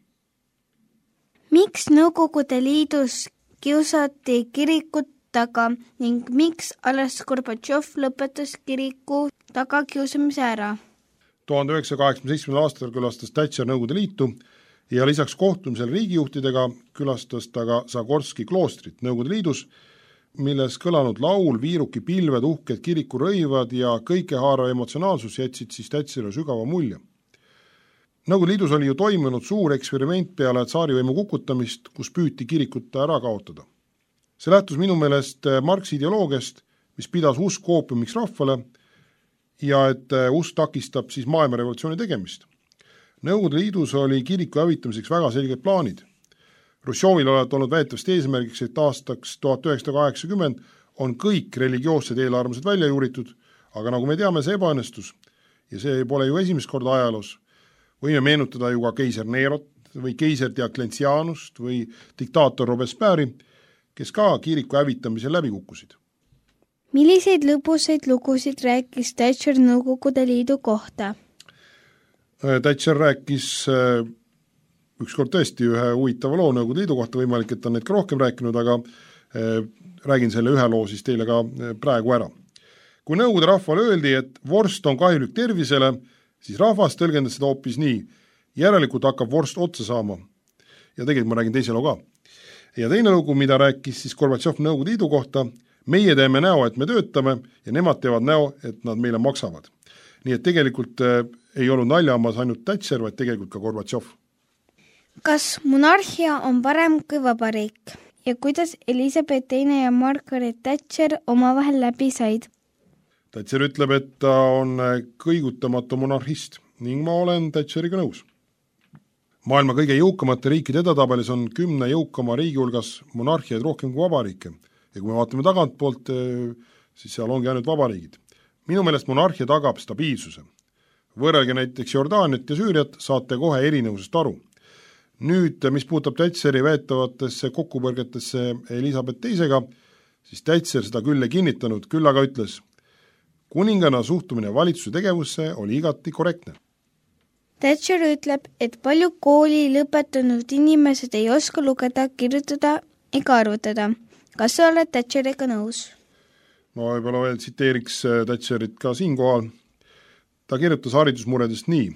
Miks Nõukogude Liidus kiusati kirikut taga ning miks alles Gorbatšov lõpetas kiriku taga kiusamise ära? tuhande üheksasaja kaheksakümne seitsmendal aastal külastas Thatcher Nõukogude Liitu ja lisaks kohtumisel riigijuhtidega külastas ta ka Zagorski kloostrit Nõukogude Liidus, milles kõlanud laul, viiruki pilved, uhked kirikurõivad ja kõikehaarav emotsionaalsus jätsid siis Thatcherile sügava mulje. Nõukogude Liidus oli ju toimunud suur eksperiment peale tsaarivõimu kukutamist, kus püüti kirikut ära kaotada. See lähtus minu meelest Marxi ideoloogiast, mis pidas usk oopiumiks rahvale ja et usk takistab siis maailmarevolutsiooni tegemist. Nõukogude Liidus oli kiriku hävitamiseks väga selged plaanid. Hruštšovil oled olnud väetavast eesmärgiks, et aastaks tuhat üheksasada kaheksakümmend on kõik religioossed eelarvamused välja juuritud, aga nagu me teame, see ebaõnnestus ja see pole ju esimest korda ajaloos. Võime meenutada ju ka keiser Nerot või keiser Diocletianust või diktaator Robespierre'i, kes ka kiriku hävitamisel läbi kukkusid. Milliseid lõbusaid lugusid rääkis Thatcher Nõukogude Liidu kohta? Thatcher rääkis ükskord tõesti ühe huvitava loo Nõukogude Liidu kohta, võimalik, et on neid ka rohkem rääkinud, aga räägin selle ühe loo siis teile ka praegu ära. Kui Nõukogude rahvale öeldi, et vorst on kahjulik tervisele, siis rahvas tõlgendas seda hoopis nii, järelikult hakkab vorst otsa saama. Ja tegelikult ma räägin teise loo ka. Ja teine lugu, mida rääkis siis Gorbatšov Nõukogude Liidu kohta, meie teeme näo, et me töötame ja nemad teevad näo, et nad meile maksavad. Nii et tegelikult ei olnud naljamas ainult Thatcher, vaid tegelikult ka Gorbatšov. Kas monarhia on parem kui vabariik ja kuidas Elizabeth teine ja Margaret Thatcher omavahel läbi said? Thatcher ütleb, et ta on kõigutamatu monarhist ning ma olen Thatcheriga nõus. Maailma kõige jõukamate riikide edatabelis on kümne jõukama riigi hulgas monarhiaid rohkem kui vabariike ja kui me vaatame tagantpoolt, siis seal ongi ainult vabariigid. Minu meelest monarhia tagab stabiilsuse. Võrrelge näiteks Jordaaniat ja Süüriat, saate kohe erinevusest aru. Nüüd, mis puutab Thatcheri väetavatesse kokkupõrgetesse Elizabeth teisega, siis Thatcher seda küll ei kinnitanud, küll aga ütles, kuningana suhtumine valitsuse tegevusse oli igati korrektne. Thatcher ütleb, et palju kooli lõpetanud inimesed ei oska lugeda, kirjutada ega arvutada. Kas sa oled Thatcheriga nõus? Ma võib-olla veel tsiteeriks Thatcherit ka siinkohal. Ta kirjutas haridusmuredest nii.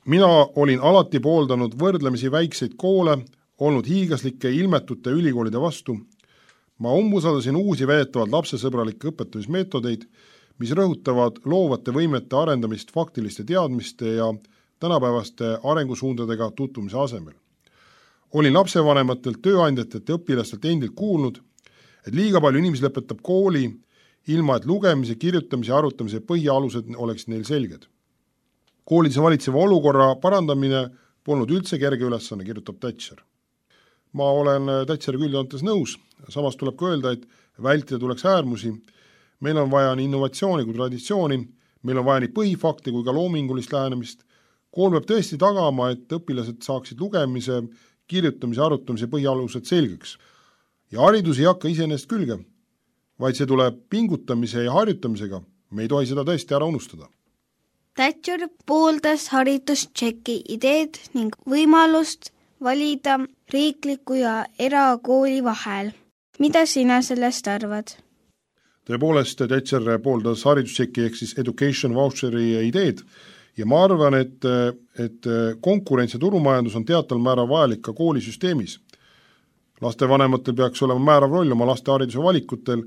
Mina olin alati pooldanud võrdlemisi väikseid koole, olnud hiigaslike ilmetute ülikoolide vastu. Ma umbusaldasin uusi väetavalt lapsesõbralikke õpetamismeetodeid, mis rõhutavad loovate võimete arendamist faktiliste teadmiste ja tänapäevaste arengusuundadega tutvumise asemel. Olin lapsevanematelt, tööandjatelt ja õpilastelt endilt kuulnud, et liiga palju inimesi lõpetab kooli, ilma et lugemise, kirjutamise ja arutamise põhialused oleksid neil selged. Koolides valitseva olukorra parandamine polnud üldse kerge ülesanne, kirjutab Thatcher. Ma olen Thatcheriga üldjoontes nõus, samas tuleb ka öelda, et vältida tuleks äärmusi. Meil on vaja nii innovatsiooni kui traditsiooni, meil on vaja nii põhifakti kui ka loomingulist lähenemist. Kool peab tõesti tagama, et õpilased saaksid lugemise, kirjutamise, arutamise põhialused selgeks. Ja haridus ei hakka iseenesest külge, vaid see tuleb pingutamise ja harjutamisega. Me ei tohi seda tõesti ära unustada. Thatcher pooldas haridustšeki ideed ning võimalust valida riikliku ja erakooli vahel. Mida sina sellest arvad? Tõepoolest, Thatcher pooldas haridustšeki ehk siis education voucheri ideed ja ma arvan, et, et konkurents ja turumajandus on teatal määral vajalik ka koolisüsteemis. Lastevanematel peaks olema määrav roll oma laste hariduse valikutel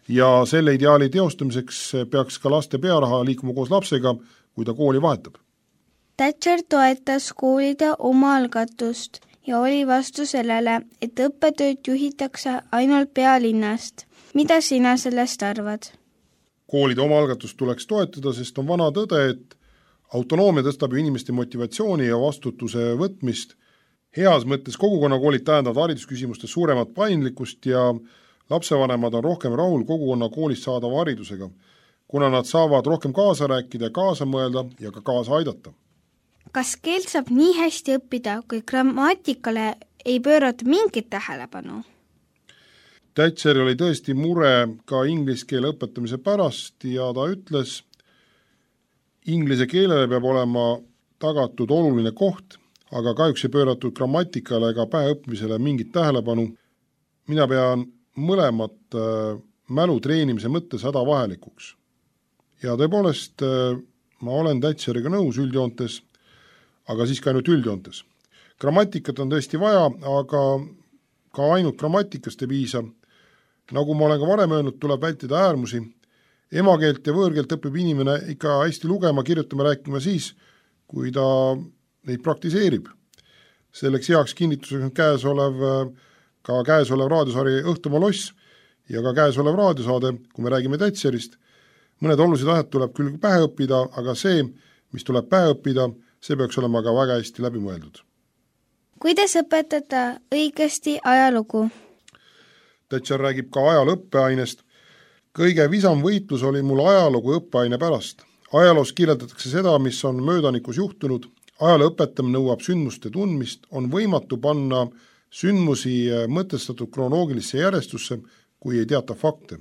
ja selle ideaali teostamiseks peaks ka laste pearaha liikuma koos lapsega, kui ta kooli vahetab. Thatcher toetas koolide omaalgatust ja oli vastu sellele, et õppetööd juhitakse ainult pealinnast. Mida sina sellest arvad? Koolide omaalgatust tuleks toetada, sest on vana tõde, et autonoomia tõstab ju inimeste motivatsiooni ja vastutuse võtmist. Heas mõttes kogukonnakoolid tähendavad haridusküsimustes suuremat paindlikkust ja lapsevanemad on rohkem rahul kogukonna koolist saadava haridusega, kuna nad saavad rohkem kaasa rääkida, kaasa mõelda ja ka kaasa aidata. Kas keelt saab nii hästi õppida, kui grammatikale ei pöörata mingit tähelepanu? Thatcher oli tõesti mure ka inglise keele õpetamise pärast ja ta ütles, inglise keelele peab olema tagatud oluline koht, aga kahjuks ei pööratud grammatikale ega päeõppimisele mingit tähelepanu. Mina pean mõlemat mälu treenimise mõttes hädavahelikuks. Ja tõepoolest ma olen Thatcheriga nõus üldjoontes, aga siis ka ainult üldjoontes. Grammatikat on tõesti vaja, aga ka ainult grammatikast ei piisa. Nagu ma olen ka varem öelnud, tuleb vältida äärmusi. Emakeelt ja võõrkeelt õpib inimene ikka hästi lugema, kirjutama, rääkima siis, kui ta neid praktiseerib. Selleks heaks kinnituseks on käesolev, ka käesolev raadiosari Õhtumaa loss ja ka käesolev raadiosaade, kui me räägime Thatcherist. Mõned olulised asjad tuleb küll pähe õppida, aga see, mis tuleb pähe õppida, see peaks olema ka väga hästi läbi mõeldud. Kuidas õpetada õigesti ajalugu? Thatcher räägib ka ajaloo õppeainest. Kõige visam võitlus oli mul ajalugu õppeaine pärast. Ajaloos kirjeldatakse seda, mis on möödanikus juhtunud. Ajaloo õpetamine nõuab sündmuste tundmist, on võimatu panna sündmusi mõtestatud kronoloogilisse järjestusse, kui ei teata fakte.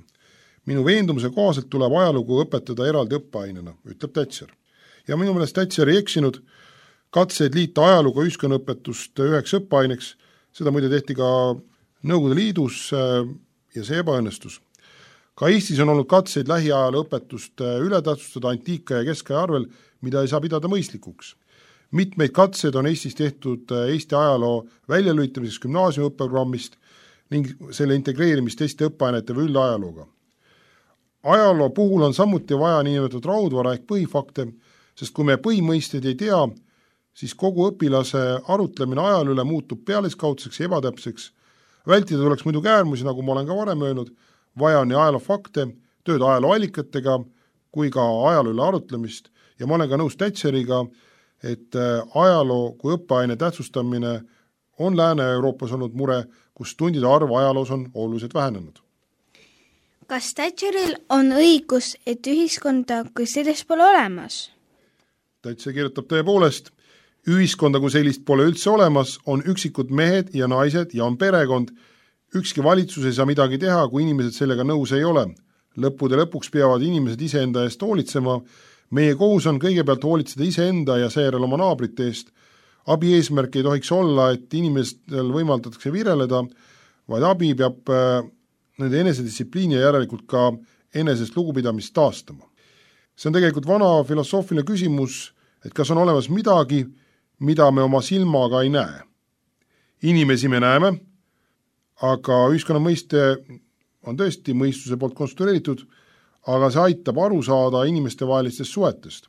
Minu veendumuse kohaselt tuleb ajalugu õpetada eraldi õppeainena, ütleb Thatcher. Ja minu meelest Thatcher ei eksinud, katseid liita ajalugu ühiskonnaõpetust üheks õppeaineks, seda muide tehti ka Nõukogude Liidus ja see ebaõnnestus. Ka Eestis on olnud katseid lähiajaloo õpetust ületähtsustada antiika ja keskaja arvel, mida ei saa pidada mõistlikuks. Mitmeid katseid on Eestis tehtud Eesti ajaloo väljalülitamiseks gümnaasiumi õppeprogrammist ning selle integreerimist teiste õppeainete või üldajalooga. Ajaloo puhul on samuti vaja niinimetatud raudvara ehk põhifakte, sest kui me põhimõisteid ei tea, siis kogu õpilase arutlemine ajaloo üle muutub pealiskaudseks ja ebatäpseks. Vältida tuleks muidugi äärmusi, nagu ma olen ka varem öelnud, vaja on nii ajaloo fakte, tööd ajaloo allikatega kui ka ajaloo üle arutlemist ja ma olen ka nõus Thatcheriga, et ajaloo kui õppeaine tähtsustamine on Lääne-Euroopas olnud mure, kus tundide arv ajaloos on oluliselt vähenenud. Kas Thatcheril on õigus, et ühiskonda kui sellist pole olemas? Thatcher kirjutab tõepoolest, ühiskonda kui sellist pole üldse olemas, on üksikud mehed ja naised ja on perekond. Ükski valitsus ei saa midagi teha, kui inimesed sellega nõus ei ole. Lõppude lõpuks peavad inimesed iseenda eest hoolitsema. Meie kohus on kõigepealt hoolitseda iseenda ja seejärel oma naabrite eest. Abi eesmärk ei tohiks olla, et inimestel võimaldatakse vireleda, vaid abi peab nende enesedistsipliini ja järelikult ka enesest lugupidamist taastama. See on tegelikult vana filosoofiline küsimus, et kas on olemas midagi, mida me oma silmaga ei näe. Inimesi me näeme, aga ühiskonna mõiste on tõesti mõistuse poolt konstrueeritud, aga see aitab aru saada inimestevahelistest suhetest.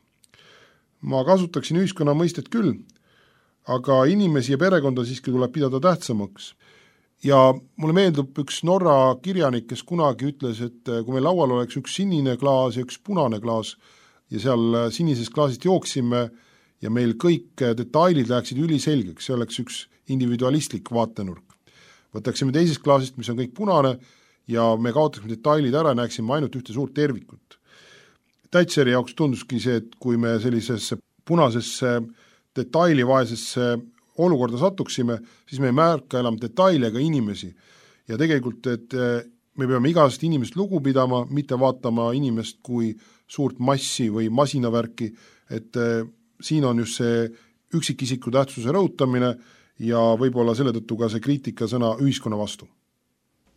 Ma kasutaksin ühiskonna mõistet küll, aga inimesi ja perekonda siiski tuleb pidada tähtsamaks. Ja mulle meeldub üks Norra kirjanik, kes kunagi ütles, et kui meil laual oleks üks sinine klaas ja üks punane klaas ja seal sinisest klaasist jooksime ja meil kõik detailid läheksid üliselgeks, see oleks üks individualistlik vaatenurk. Võtaksime teisest klaasist, mis on kõik punane ja me kaotaksime detailid ära, näeksime ainult ühte suurt tervikut. Thatcheri jaoks tunduski see, et kui me sellisesse punasesse detailivaesesse olukorda satuksime, siis me ei märka enam detaile ega inimesi. Ja tegelikult, et me peame igast inimest lugu pidama, mitte vaatama inimest kui suurt massi või masinavärki, et siin on just see üksikisiku tähtsuse rõhutamine ja võib-olla selle tõttu ka see kriitika sõna ühiskonna vastu.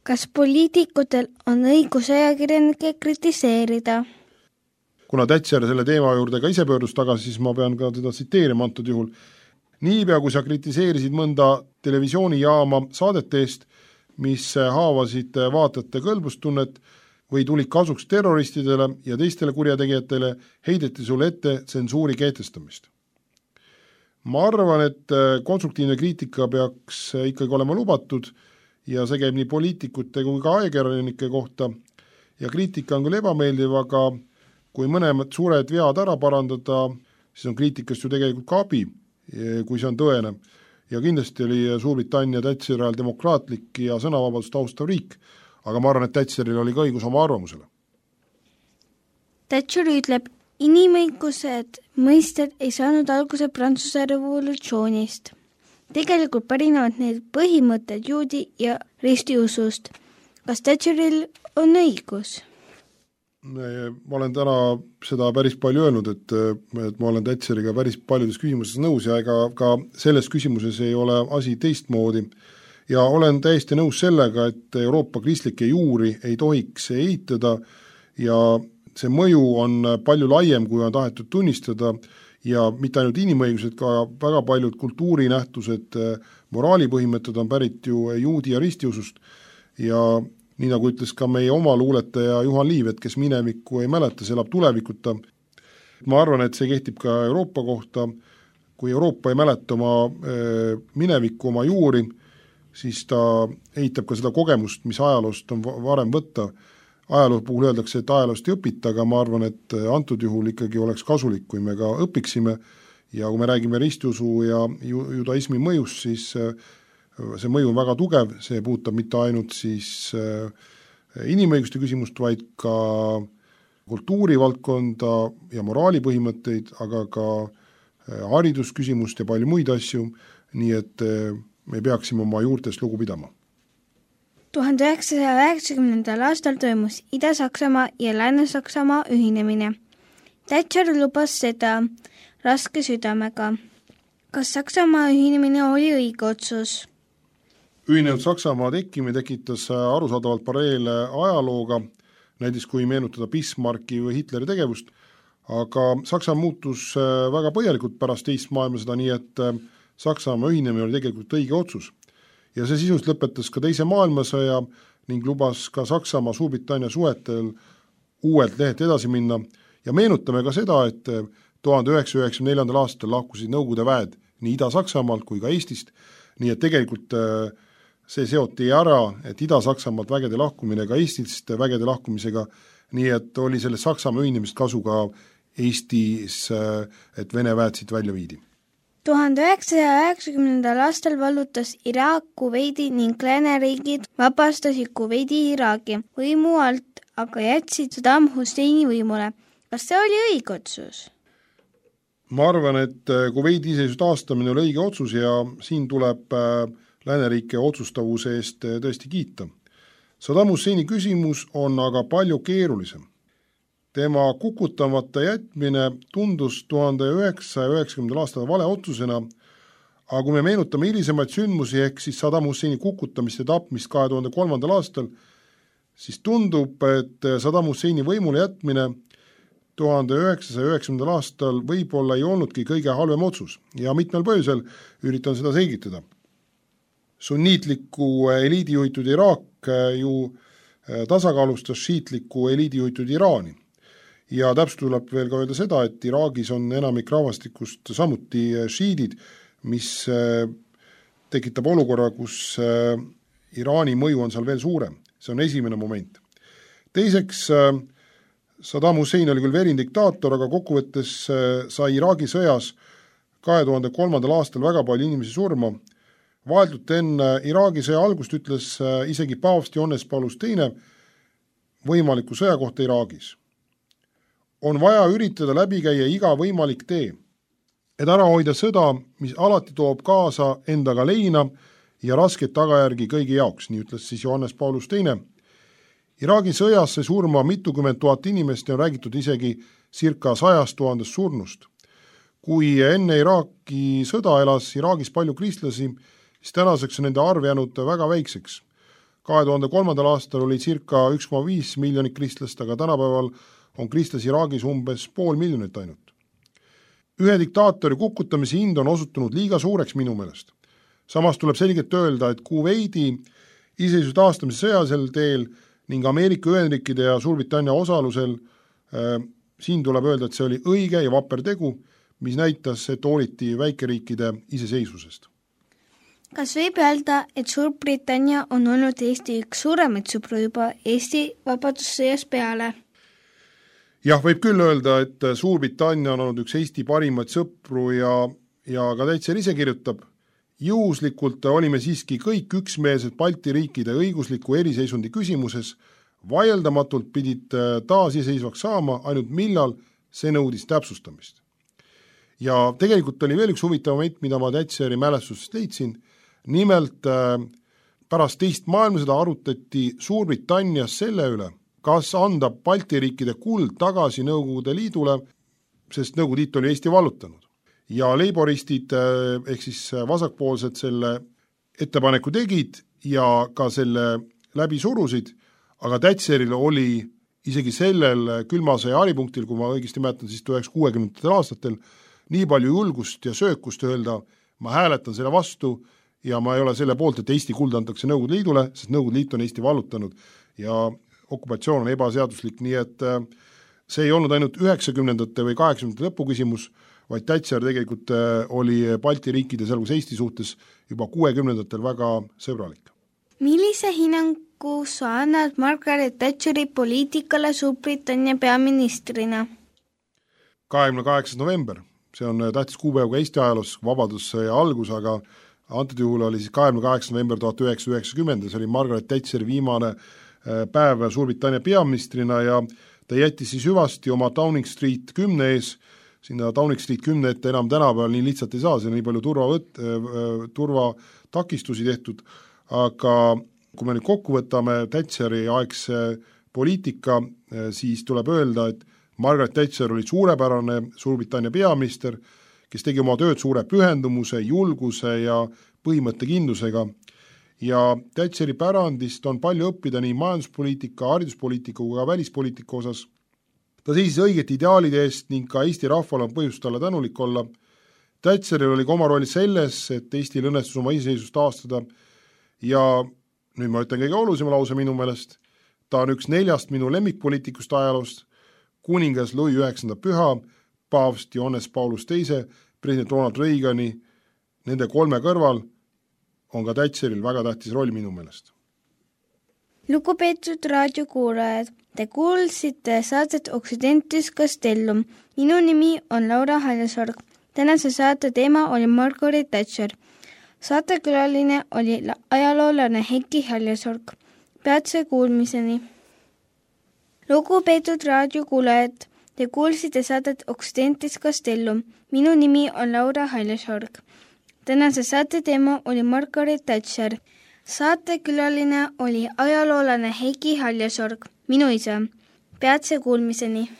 Kas poliitikutel on õigus ajakirjanikke kritiseerida? Kuna Thatcher selle teema juurde ka ise pöördus tagasi, siis ma pean ka teda tsiteerima antud juhul. Niipea, kui sa kritiseerisid mõnda televisioonijaama saadete eest, mis haavasid vaatajate kõlbustunnet või tulid kasuks terroristidele ja teistele kurjategijatele, heideti sulle ette tsensuuri kehtestamist. Ma arvan, et konstruktiivne kriitika peaks ikkagi olema lubatud ja see käib nii poliitikute kui ka ajakirjanike kohta ja kriitika on küll ebameeldiv, aga kui mõlemad suured vead ära parandada, siis on kriitikast ju tegelikult ka abi, kui see on tõene. Ja kindlasti oli Suurbritannia Thatcheri ajal demokraatlik ja sõnavabadust austav riik, aga ma arvan, et Thatcheril oli ka õigus oma arvamusele. Thatcher ütleb, inimõigused mõisted ei saanud alguse Prantsuse revolutsioonist. Tegelikult pärinevad need põhimõtted juudi ja ristiusust. Kas Thatcheril on õigus? Ma olen täna seda päris palju öelnud, et, et ma olen Thatcheriga päris paljudes küsimuses nõus ja ega ka selles küsimuses ei ole asi teistmoodi. Ja olen täiesti nõus sellega, et Euroopa kristlikke juuri ei tohiks eitada ja see mõju on palju laiem, kui on tahetud tunnistada ja mitte ainult inimõigused, ka väga paljud kultuurinähtused, moraalipõhimõtted on pärit ju juudi ja ristiusust ja nii nagu ütles ka meie oma luuletaja Juhan Liiv, et kes minevikku ei mäleta, see elab tulevikuta. Ma arvan, et see kehtib ka Euroopa kohta. Kui Euroopa ei mäleta oma minevikku, oma juuri, siis ta eitab ka seda kogemust, mis ajaloost on varem võtta. Ajaloo puhul öeldakse, et ajaloost ei õpita, aga ma arvan, et antud juhul ikkagi oleks kasulik, kui me ka õpiksime ja kui me räägime ristiusu ja judaismi mõjust, siis see mõju on väga tugev, see puudutab mitte ainult siis inimõiguste küsimust, vaid ka kultuurivaldkonda ja moraalipõhimõtteid, aga ka haridusküsimust ja palju muid asju, nii et me peaksime oma juurtest lugu pidama. tuhande üheksasaja üheksakümnendal aastal toimus Ida-Saksamaa ja Lääne-Saksamaa ühinemine. Thatcher lubas seda raske südamega. Kas Saksamaa ühinemine oli õige otsus? Ühinenud Saksamaa tekkimine tekitas arusaadavalt paralleele ajalooga, näiteks kui meenutada Bismarcki või Hitleri tegevust, aga Saksamaa muutus väga põhjalikult pärast teist maailmasõda, nii et Saksamaa ühinemine oli tegelikult õige otsus. Ja see sisust lõpetas ka teise maailmasõja ning lubas ka Saksamaa Suurbritannia suhetel uuelt lehet edasi minna ja meenutame ka seda, et tuhande üheksasaja üheksakümne neljandal aastal lahkusid Nõukogude väed nii Ida-Saksamaalt kui ka Eestist, nii et tegelikult see seoti ära, et Ida-Saksamaalt vägede lahkumine ka Eestist vägede lahkumisega, nii et oli selle Saksamaa ühinemist kasu ka Eestis, et Vene väed siit välja viidi. tuhande üheksasaja üheksakümnendal aastal vallutas Iraak Kuveidi ning lääneriigid vabastasid Kuveidi Iraagi võimu alt, aga jätsid Saddam Husseini võimule. Kas see oli õige otsus? Ma arvan, et Kuveidi iseseisvuse taastamine oli õige otsus ja siin tuleb lääneriike otsustavuse eest tõesti kiita. Saddam Husseini küsimus on aga palju keerulisem. Tema kukutamata jätmine tundus tuhande üheksasaja üheksakümnendal aastal vale otsusena, aga kui me meenutame hilisemaid sündmusi ehk siis Saddam Husseini kukutamist ja tapmist kahe tuhande kolmandal aastal, siis tundub, et Saddam Husseini võimule jätmine tuhande üheksasaja üheksakümnendal aastal võib-olla ei olnudki kõige halvem otsus ja mitmel põhjusel üritan seda selgitada. Sunniitliku eliidi juhitud Iraak ju tasakaalustas šiitliku eliidi juhitud Iraani. Ja täpselt tuleb veel ka öelda seda, et Iraagis on enamik rahvastikust samuti šiidid, mis tekitab olukorra, kus Iraani mõju on seal veel suurem. See on esimene moment. Teiseks, Saddam Hussein oli küll verin diktaator, aga kokkuvõttes sai Iraagi sõjas kahe tuhande kolmandal aastal väga palju inimesi surma. Vaheldult enne Iraagi sõja algust ütles isegi paavst Johannes Paulus teine võimaliku sõja kohta Iraagis. On vaja üritada läbi käia iga võimalik tee, et ära hoida sõda, mis alati toob kaasa endaga leina ja rasket tagajärgi kõigi jaoks, nii ütles siis Johannes Paulus teine. Iraagi sõjas sai surma mitukümmend tuhat inimest ja on räägitud isegi circa sajast tuhandest surnust. Kui enne Iraagi sõda elas Iraagis palju kristlasi, siis tänaseks on nende arv jäänud väga väikseks. kahe tuhande kolmandal aastal oli circa üks koma viis miljonit kristlast, aga tänapäeval on kristlasi Iraagis umbes pool miljonit ainult. Ühe diktaatori kukutamise hind on osutunud liiga suureks minu meelest. Samas tuleb selgelt öelda, et Kuveidi iseseisvuse taastamise sõjasel teel ning Ameerika Ühendriikide ja Suurbritannia osalusel äh, siin tuleb öelda, et see oli õige ja vapper tegu, mis näitas, et hooliti väikeriikide iseseisvusest. Kas võib öelda, et Suurbritannia on olnud Eesti üks suuremaid sõpru juba Eesti vabadussõjas peale? Jah, võib küll öelda, et Suurbritannia on olnud üks Eesti parimaid sõpru ja, ja ka Täitser ise kirjutab. Juhuslikult olime siiski kõik üksmeelsed Balti riikide õigusliku eriseisundi küsimuses, vaieldamatult pidid taas iseseisvaks saama, ainult millal see nõudis täpsustamist. Ja tegelikult oli veel üks huvitav moment, mida ma Täitseri mälestusest leidsin. Nimelt pärast teist maailmasõda arutati Suurbritannias selle üle, kas anda Balti riikide kuld tagasi Nõukogude Liidule, sest Nõukogude Liit oli Eesti vallutanud. Ja leiboristid ehk siis vasakpoolsed selle ettepaneku tegid ja ka selle läbi surusid, aga Täitseril oli isegi sellel külmasõja haripunktil, kui ma õigesti mäletan, siis tuhat üheksasada kuuekümnendatel aastatel, nii palju julgust ja söökust öelda, ma hääletan selle vastu ja ma ei ole selle poolt, et Eesti kuld antakse Nõukogude Liidule, sest Nõukogude Liit on Eesti vallutanud ja okupatsioon on ebaseaduslik, nii et see ei olnud ainult üheksakümnendate või kaheksakümnendate lõpu küsimus, vaid Täitser tegelikult oli Balti riikide, sealhulgas Eesti suhtes juba kuuekümnendatel väga sõbralik. Millise hinnangu sa annad Margaret Thatcheri poliitikale Suurbritannia peaministrina? kahekümne kaheksas november, see on tähtis kuupäev ka Eesti ajaloos, vabadussõja algus, aga antud juhul oli siis kahekümne kaheksas november tuhat üheksasada üheksakümmend, see oli Margaret Thatcheri viimane päev Suurbritannia peaministrina ja ta jättis siis hüvasti oma Downing Street kümne ees, sinna Downing Street kümne ette enam tänapäeval nii lihtsalt ei saa, see on nii palju turvavõt, turvatakistusi tehtud, aga kui me nüüd kokku võtame Thatcheri aegse poliitika, siis tuleb öelda, et Margaret Thatcher oli suurepärane Suurbritannia peaminister, kes tegi oma tööd suure pühendumuse, julguse ja põhimõttekindlusega ja Thatcheri pärandist on palju õppida nii majanduspoliitika, hariduspoliitika kui ka välispoliitika osas. Ta seisis õigete ideaalide eest ning ka Eesti rahval on põhjust talle tänulik olla. Thatcheril oli ka oma roll selles, et Eestil õnnestus oma iseseisvust taastada ja nüüd ma ütlen kõige olulisema lause minu meelest, ta on üks neljast minu lemmikpoliitikust ajaloost, kuningas Louis üheksanda püha, paavst Johannes Paulus teine, president Ronald Reagani, nende kolme kõrval on ka Thatcheril väga tähtis roll minu meelest. Lugupeetud raadiokuulajad, te kuulsite saadet Occidentis Castellum. Minu nimi on Laura Haljasorg. Tänase saate teema oli Margaret Thatcher. Saatekülaline oli ajaloolane Heiki Haljasorg. Peatse kuulmiseni. Lugupeetud raadiokuulajad, te kuulsite saadet Occidentis Castellum. Minu nimi on Laura Haljasorg. Tänase saate teema oli Margaret Thatcher. Saatekülaline oli ajaloolane Heiki Haljasorg, minu isa. Peatse kuulmiseni.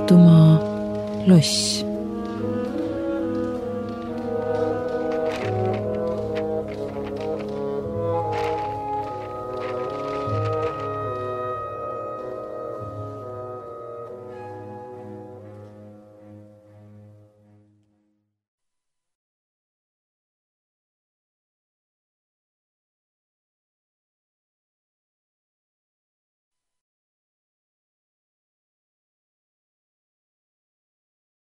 Tartumaa loss.